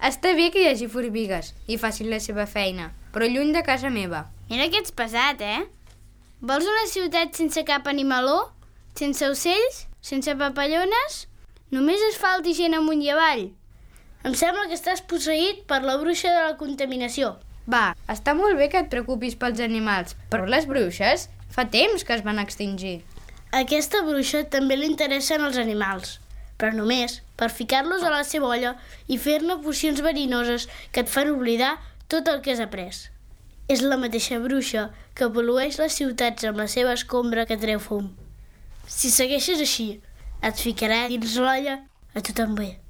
Està bé que hi hagi formigues i facin la seva feina, però lluny de casa meva. Mira que ets pesat, Vols una ciutat sense cap animaló? Sense ocells? Sense papallones? Només asfalt i gent amunt i avall? Em sembla que estàs posseït per la bruixa de la contaminació. Va, està molt bé que et preocupis pels animals, però les bruixes fa temps que es van extingir. A aquesta bruixa també li interessen els animals, però només per ficar-los a la seva olla i fer-ne pocions verinoses que et fan oblidar tot el que has après. És la mateixa bruixa que pol·lueix les ciutats amb la seva escombra que treu fum. Si segueixes així, et ficarà dins l'olla a tothom bé.